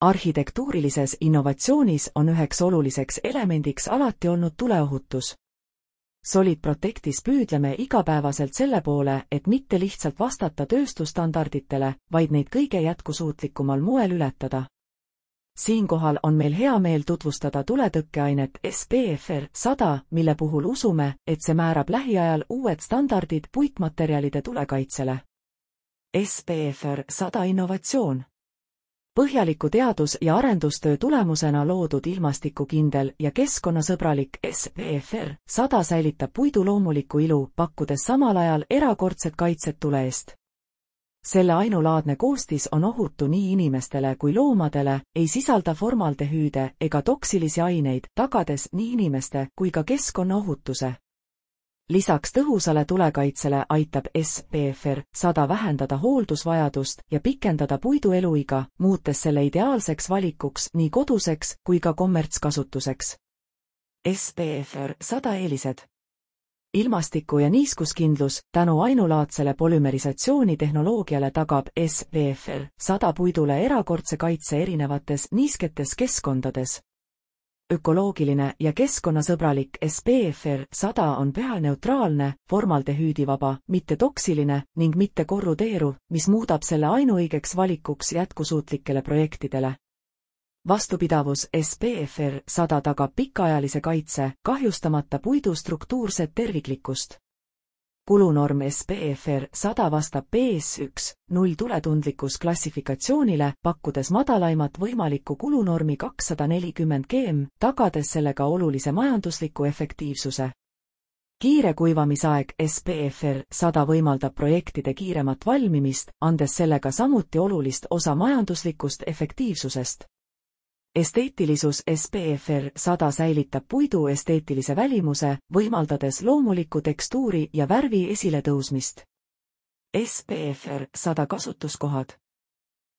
Arhitektuurilises innovatsioonis on üheks oluliseks elemendiks alati olnud tuleohutus. Solid Protectis püüdleme igapäevaselt selle poole, et mitte lihtsalt vastata tööstusstandarditele, vaid neid kõige jätkusuutlikumal moel ületada. Siinkohal on meil hea meel tutvustada tuletõkkeainet SPFR 100, mille puhul usume, et see määrab lähiajal uued standardid puitmaterjalide tulekaitsele. SPFR 100 innovatsioon. Põhjaliku teadus- ja arendustöö tulemusena loodud ilmastikukindel ja keskkonnasõbralik SPFR 100 säilitab puidu loomulikku ilu, pakkudes samal ajal erakordset kaitset tule eest. Selle ainulaadne koostis on ohutu nii inimestele kui loomadele, ei sisalda formaldehüüde ega toksilisi aineid, tagades nii inimeste kui ka keskkonnaohutuse. Lisaks tõhusale tulekaitsele aitab SPFR 100 vähendada hooldusvajadust ja pikendada puidu eluiga, muutes selle ideaalseks valikuks nii koduseks kui ka kommertskasutuseks. SPFR 100 eelised. Ilmastiku- ja niiskuskindlus tänu ainulaadsele polümerisatsiooni tehnoloogiale tagab SPFR 100 puidule erakordse kaitse erinevates niisketes keskkondades. Ökoloogiline ja keskkonnasõbralik SPFR 100 on pH-neutraalne, formaldehüüdivaba, mitte toksiline ning mitte korrudeeruv, mis muudab selle ainuõigeks valikuks jätkusuutlikele projektidele. Vastupidavus SPFR 100 tagab pikaajalise kaitse, kahjustamata puidu struktuurset terviklikkust. Kulunorm SPFR 100 vastab PS1.0 tuletundlikkus klassifikatsioonile, pakkudes madalaimat võimalikku kulunormi 240 gm, tagades sellega olulise majandusliku efektiivsuse. Kiire kuivamisaeg SPFR 100 võimaldab projektide kiiremat valmimist, andes sellega samuti olulist osa majanduslikust efektiivsusest. Esteetilisus SPFR 100 säilitab puidu esteetilise välimuse, võimaldades loomuliku tekstuuri ja värvi esiletõusmist. SPFR 100 kasutuskohad.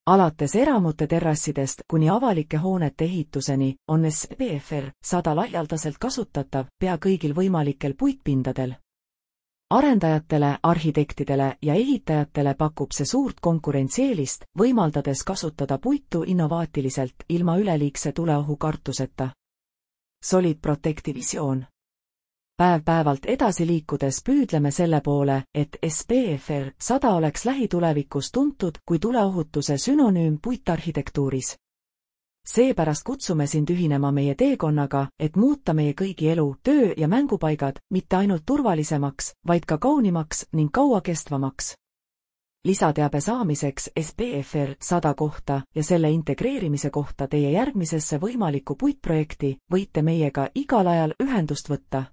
Alates eramute terrassidest kuni avalike hoonete ehituseni on SPFR 100 laialdaselt kasutatav pea kõigil võimalikel puitpindadel. Arendajatele, arhitektidele ja ehitajatele pakub see suurt konkurentsieelist, võimaldades kasutada puitu innovaatiliselt ilma üleliigse tuleohu kartuseta. Solid Protecti visioon. Päev-päevalt edasi liikudes püüdleme selle poole, et SPFR 100 oleks lähitulevikus tuntud kui tuleohutuse sünonüüm puitarhitektuuris. Seepärast kutsume sind ühinema meie teekonnaga, et muuta meie kõigi elu, töö ja mängupaigad mitte ainult turvalisemaks, vaid ka kaunimaks ning kauakestvamaks. Lisateabe saamiseks SPFR 100 kohta ja selle integreerimise kohta teie järgmisesse võimalikku puitprojekti võite meiega igal ajal ühendust võtta.